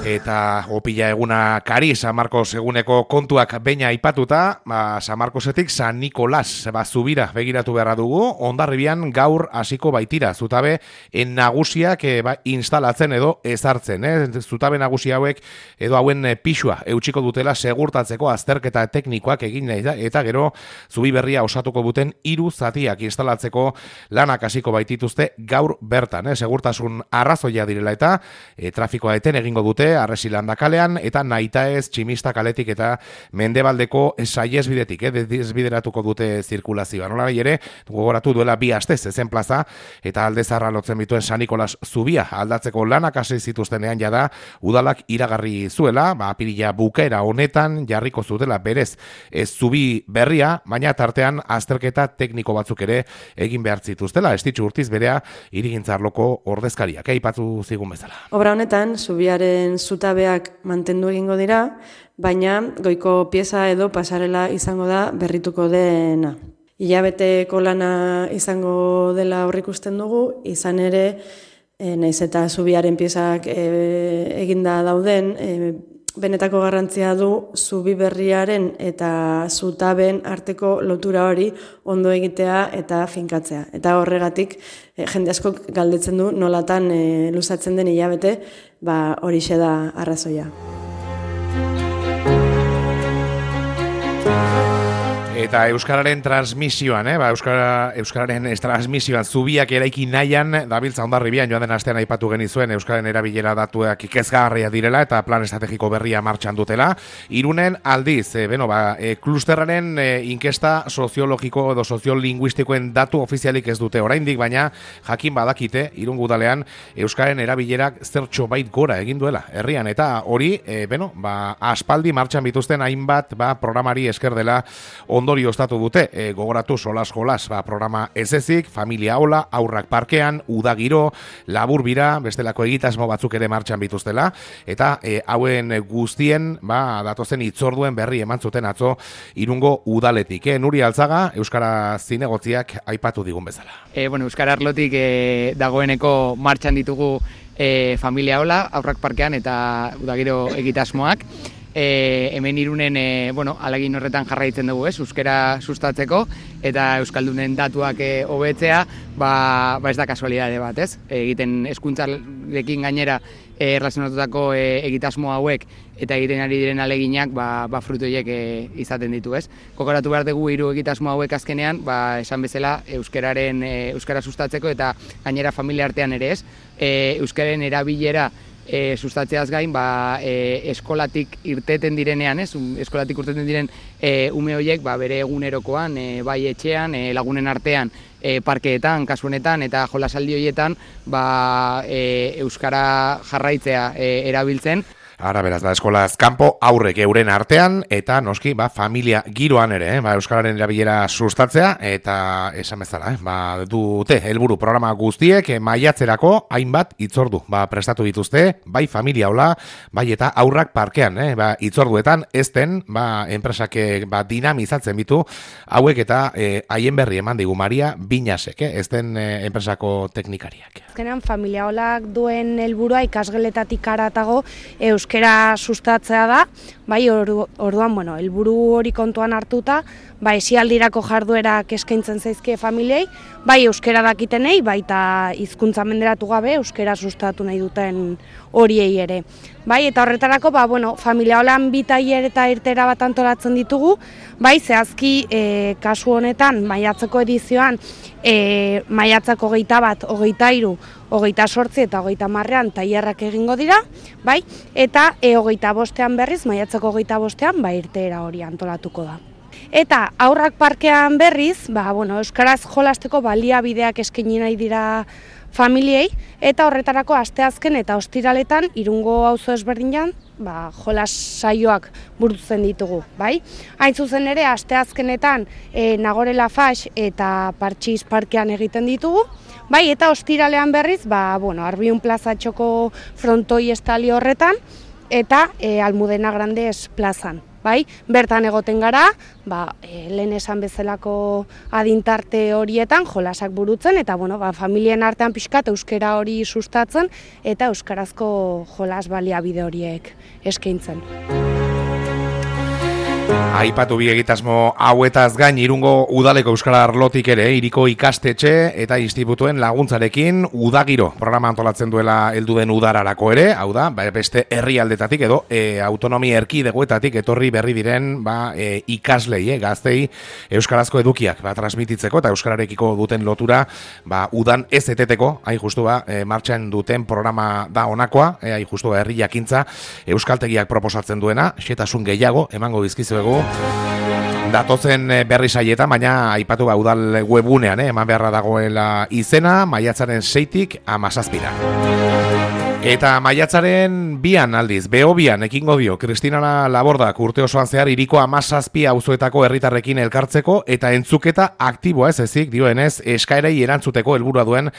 Eta opila eguna kari, San Marcos eguneko kontuak beina aipatuta, San Marcosetik San Nikolas zubira begiratu beharra dugu, Hondarribian gaur hasiko baitira, zutabe nagusiak instalatzen edo ezartzen. Zutabe nagusi hauek edo hauen pixua eutxiko dutela segurtatzeko azterketa teknikoak egin eta gero zubi berria osatuko duten 3 zatiak instalatzeko lanak hasiko baitituzte gaur bertan. Segurtasun arrazoia direla eta trafikoa eten egingo dute Arresilanda kalean eta Nahitaez Tximista kaletik eta Mendebaldeko saihesbidetik desbideratuko dute zirkulazioa. Nola ere, gogoratu duela 2 aste zezen plaza eta Aldezarra lotzen bituen San Nikolas zubia aldatzeko lanak hasi zituztenean jada udalak iragarri zuela, apirila bukaera honetan jarriko zutela berez zubi berria, baina tartean azterketa tekniko batzuk ere egin behar zituztela. Estitxu Urtiz berea Hirigintzarloko ordezkariak aipatu zigun bezala. Obra honetan zubiaren zutabeak mantendu egingo dira, baina goiko pieza edo pasarela izango da berrituko dena. Hilabeteko lana izango dela aurreikusten dugu, izan ere, naiz eta zubiaren piezak eginda dauden, benetako garrantzia du zubi berriaren eta zutaben arteko lotura hori ondo egitea eta finkatzea. Eta horregatik jende askok galdetzen du nolatan luzatzen den hilabete, horixe da arrazoia. Eta Euskararen transmisioan, Euskararen transmisioan zubiak eraiki nahian, dabiltza Hondarribian joan den astean aipatu genizuen Euskararen erabilera datuak ikezgarria direla eta plan estrategiko berria martxan dutela. Irunen aldiz, klusterraren inkesta soziologiko edo soziolinguistikoen datu ofizialik ez dute oraindik, baina jakin badakite Irun udalean Euskararen erabilerak zertxo bait gora egin duela herrian eta hori, aspaldi martxan bituzten hainbat programari esker dela ondorio ostatu dute, gogoratu solas jolas programa ezezik, familia hola, aurrak parkean, udagiro, labur bira, bestelako egitasmo batzuk ere martxan bituztela, eta hauen guztien datozen hitzorduen berri eman zuten atzo Irungo udaletik. Nuri Altzaga, Euskara zinegotziak aipatu digun bezala. Euskara arlotik dagoeneko martxan ditugu familia hola, aurrak parkean eta udagiro egitasmoak. Hemen Irunen alegin horretan jarraitzen dugu, euskara sustatzeko eta euskaldunen datuak hobetzea, ez da kasualidade bat, egiten hezkuntzarekin gainera erlazionatutako egitasmo hauek eta egiten ari diren aleginak frutu horiek izaten ditu, Kokoratu behar dugu 3 egitasmo hauek azkenean, esan bezala euskara sustatzeko eta gainera familia artean ere euskaren erabilera sustatzeaz gain, eskolatik irteten direnean, eskolatik irteten diren ume horiek bere egunerokoan, bai etxean, lagunen artean, parkeetan, kasu honetan, eta jolasaldi horietan euskara jarraitzea erabiltzen. Ara beraz, eskolaz kanpo aurrek euren artean eta noski familia giroan ere, euskararen erabilera sustatzea eta esan bezala, dute helburu programa guztiek maiatzerako hainbat hitzordu prestatu dituzte, bai familia hola, bai eta aurrak parkean, hitzorduetan ezten enpresak dinamizatzen bitu hauek eta haien berri eman digu Maria Binasek, ezten enpresako teknikariak. Azkenean familia holak duen helburua ikasgeletatik haratago euskara sustatzea da, orduan, helburu hori kontuan hartuta, esialdirako jarduerak eskaintzen zaizkie familiei, euskara dakitenei, baita hizkuntza menderatu gabe euskara sustatu nahi duten horiei ere. Eta horretarako, familia holan 2 tailer eta irtera bat antolatzen ditugu, zehazki kasu honetan, maiatzeko edizioan, maiatzako 21, 23, 28 eta 30ean tailerrak egingo dira, eta 25ean berriz, maiatzeko 25ean, irteera hori antolatuko da. Eta aurrak parkean berriz, euskaraz jolasteko baliabideak eskaini nahi dira familiei, eta horretarako asteazken eta ostiraletan Irungo auzo ezberdinean jolas saioak burutzen ditugu, Hain zuzen ere, asteazkenetan Nagore Lafax eta Partxiz parkean egiten ditugu, eta ostiralean berriz, Arbiun plazatxoko frontoi estali horretan, eta Almudena Grandes plazan. bai, bertan egoten gara, lehen esan bezalako adintarte horietan jolasak burutzen, eta familien artean pixkat euskara hori sustatzen, eta euskarazko jolas baliabide horiek eskaintzen. Aipatu bi egitasmo hauetaz gain Irungo udaleko euskara arlotik ere hiriko ikastetxe eta institutuen laguntzarekin udagiro programa antolatzen duela heldu den udararako ere, hau da, beste herrialdetatik edo autonomia erkidegoetatik etorri berri diren ikaslei, gaztei euskarazko edukiak transmititzeko eta euskararekiko duten lotura udan ez eteteko, hain justu martxan duten programa da honakoa, hain justu herri jakintza euskaltegiak proposatzen duena, xetasun gehiago emango dizkizuegu datozen berri saietan, baina aipatu udal webunean eman beharra dagoela izena, maiatzaren 6tik 17ra. Eta maiatzaren 2 aldiz, Behobian ekingo dio Kristina Labordak urte osoan zehar hiriko 17 auzoetako herritarrekin elkartzeko eta entzuketa aktiboa ez ezik dioenez eskaerei erantzuteko helburua duen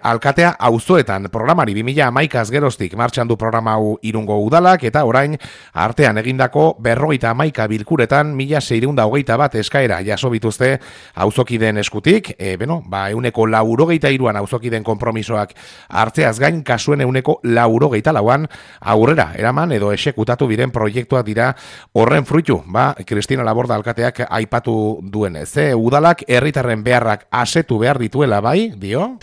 alkatea auzoetan. Programari 2011 geroztik martxan du programa hau Irungo udalak eta orain artean egindako 51 bilkuretan 1621 eskaera jaso bituzte auzokideen eskutik. 183an auzokideen konpromisoak hartzeaz gain kasuen 184an aurrera eraman edo exekutatu biren proiektuak dira horren fruitu, Kristina Laborda alkateak aipatu duenez. Udalak herritarren beharrak asetu behar dituela dio?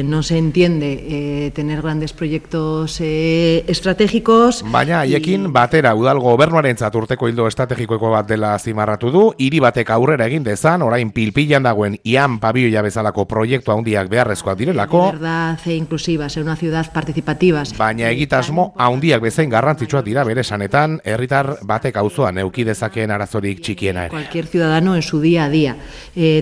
No se entiende tener grandes proyectos estratégicos. Baina haiekin batera udal gobernuarentzat urteko ildo estrategikoeko bat dela zimarratu du, hiri batek aurrera egin dezan, orain pilpilan dagoen Ian Pabioia bezalako proiektu handiak beharrezkoak direlako. Verdad inclusiva, ser una ciudad participativa. Baina egitasmo handiak bezain garrantzitsuak dira bere esanetan, herritar batek auzoan eduki dezakeen arazorik txikiena ere. Cualquier ciudadano en su día a día.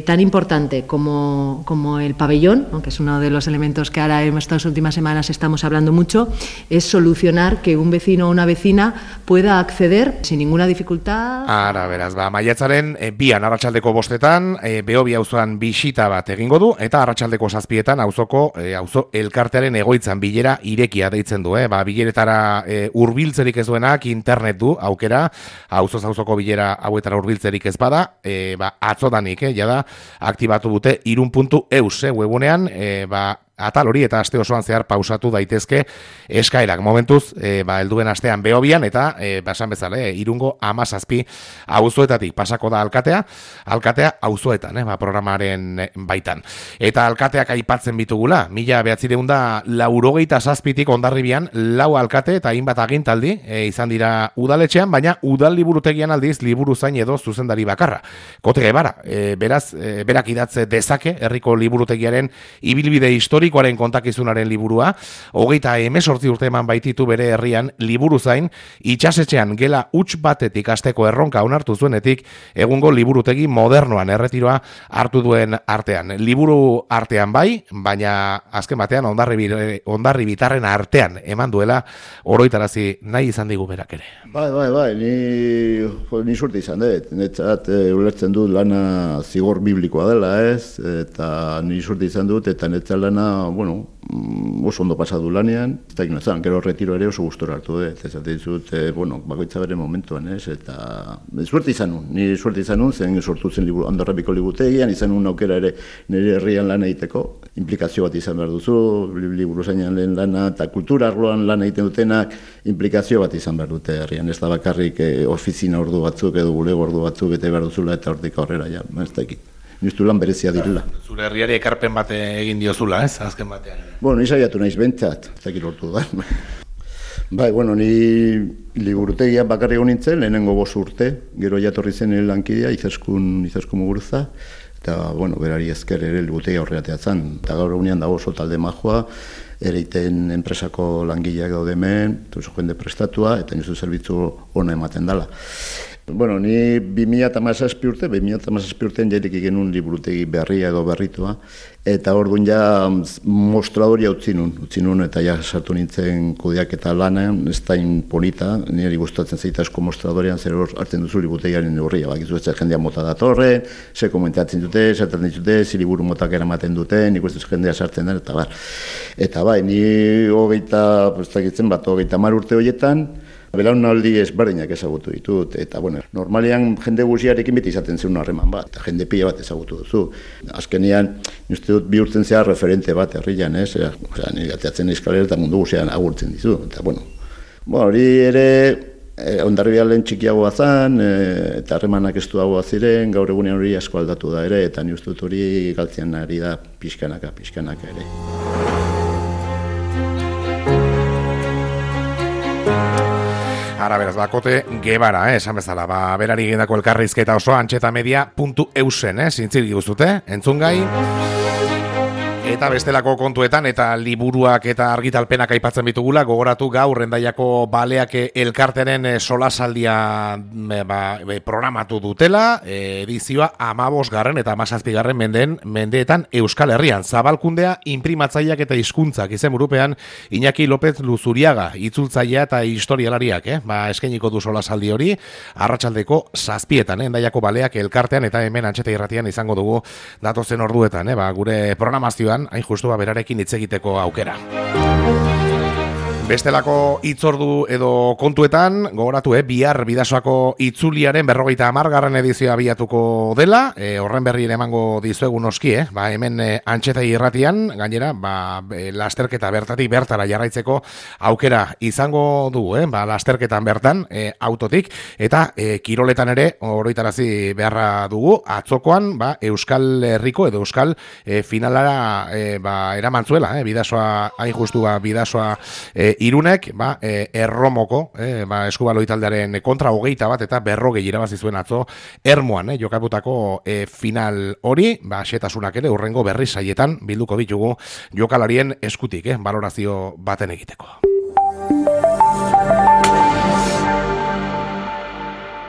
Tan importante como el pabellón, que es uno de los elementos que ahora en estas últimas semanas estamos hablando mucho, es solucionar que un vecino o una vecina pueda acceder sin ninguna dificultad. Ara, beraz, maiatzaren 2 arratsaldeko 5 Behobia auzoan bisita bat egingo du, eta arratsaldeko 7 auzo elkartearen egoitzan bilera irekia deitzen du, bileretara hurbiltzerik ez duenak internet du aukera, auzoz auzoko bilera hauetara hurbiltzerik ez bada, atzodanik, jada aktibatu dute irun.eus webunean, atal hori eta aste osoan zehar pausatu daitezke eskaerak. Momentuz, helduen astean Behobian eta esan bezala, Irungo 17 auzoetatik pasako da alkatea auzoetan, programaren baitan. Eta alkateak aipatzen bitugula, 1987tik Hondarribian 4 alkate eta hainbat agintaldi izan dira udaletxean, baina udal liburutegian aldiz liburu zain edo zuzendari bakarra. Kote Gebara, beraz, berak idatze dezake herriko liburutegiaren ibilbide historikoaren kontakizunaren liburua, 28 urte eman baititu bere herrian liburu zain, itxasetxean gela huts batetik hasteko erronka onartu zuenetik, egungo liburutegi modernoan erretiroa hartu duen artean. Liburu artean baina azken batean Hondarribitarren artean eman duela oroitarazi nahi izan digu berak ere. Bai, ni suerte izan dut, netzat ulertzen dut lana zigor biblikoa dela ez, eta ni suerte izan dut, eta netzat lana oso ondo pasadu lanean, ez da ginozan, gero retiro ere oso gustora hartu dut, ez dut, bakoitza bere momentuan, ez, eta suerte izan nun, zen sortu zen Hondarribiko liburutegian, izan nun aukera ere nire herrian lan egiteko, implikazio bat izan behar duzu, liburu zainan lehen lana, eta kultura arloan lan egiten dutenak, implikazio bat izan behar dute herrian, ez da bakarrik ofizina ordu batzuk edo bulego ordu batzuk bete behar duzula eta hortik aurrera, ez da ekit. Niztu lan berezia direla. Zure herriari ekarpen bat egin diozula, ez, azken batean. Ni saiatu naiz bentsat, ez dakit lortu da. Ni liburutegia bakarrik nintzen, lehenengo 5 urte, gero jatorri zen lankidea, Izaskun Muguruza, eta, berari ezker ere liburutegia horreateatzen, eta gaur egunean dago oso talde majoa, ereiten enpresako langileak daude hemen, oso jende prestatua, eta nizu zerbitzu ona ematen dela. Ni 2017 urtean jairik genuen liburutegi berria edo berritua, eta orduan ja mostradoria utzi nun eta ja sartu nintzen kudeak eta lanean, ez da polita, niri gustatzen zaita asko mostradorean zer hor hartzen duzu liburutegiaren neurria, bakizu ez jendea mota datorren, ze komentatzen dute, sartzen ditute, ze liburu motak eramaten dute, nik ez jendea sartzen den, eta bar. Eta ni 30 urte horietan, Belaunaldi ezberdinak ezagutu ditut, eta bueno, normalean jende guztiarekin beti izaten zen harreman bat, eta jende pila bat ezagutu duzu. Azkenean, uste dut bihurtzen zea referente bat herrian, ez? Osea, nire ateatzen eskalera eta mundu guztian agurtzen dizu, eta bueno. Hori ere, Hondarribian txikiagoa zen, eta harremanak estuagoa ziren, gaur egunean hori asko aldatu da ere, eta ni uste dut hori galtzen ari da pixkanaka ere. Ara beraz, bakote Gebara, esan bezala, berari egindako elkarrizketa oso antxetamedia.eusen, zintzilgi guztute, entzungai. Eta bestelako kontuetan eta liburuak eta argitalpenak aipatzen bitugula, gogoratu gaur Hendaiako Baleak elkarteren solasaldia programatu dutela, edizioa 15. eta 17. mendeetan Euskal Herrian. Zabalkundea inprimatzaileak eta hizkuntzak izenburupean Iñaki López Luzuriaga, itzultzailea eta historialariak, eskainiko du solasaldi hori, arratsaldeko 7:00 Hendaiako Baleak elkartean eta hemen Antxeta Irratian izango dugu datozen orduetan, gure programazioan hain justu berarekin hitz egiteko aukera. Bestelako hitzordu edo kontuetan, gogoratu, bihar Bidasoako itzuliaren 50. edizioa abiatuko dela, horren berri emango dizuegu noski, hemen Antxeta Irratian, gainera, lasterketa bertatik bertara jarraitzeko aukera izango du, lasterketan bertan, autotik, eta kiroletan ere, oroitarazi beharra dugu, atzokoan, Euskal Herriko edo Euskal finalara eraman zuela, Bidasoa, hain justu, Bidasoa Irunek, Erromoko, eskubalo italdearen kontra 21 eta 40 irabazi zuen atzo Ermuan, jokaputako final hori, xetasunak ere urrengo berri saietan bilduko ditugu jokalarien eskutik, balorazio baten egiteko.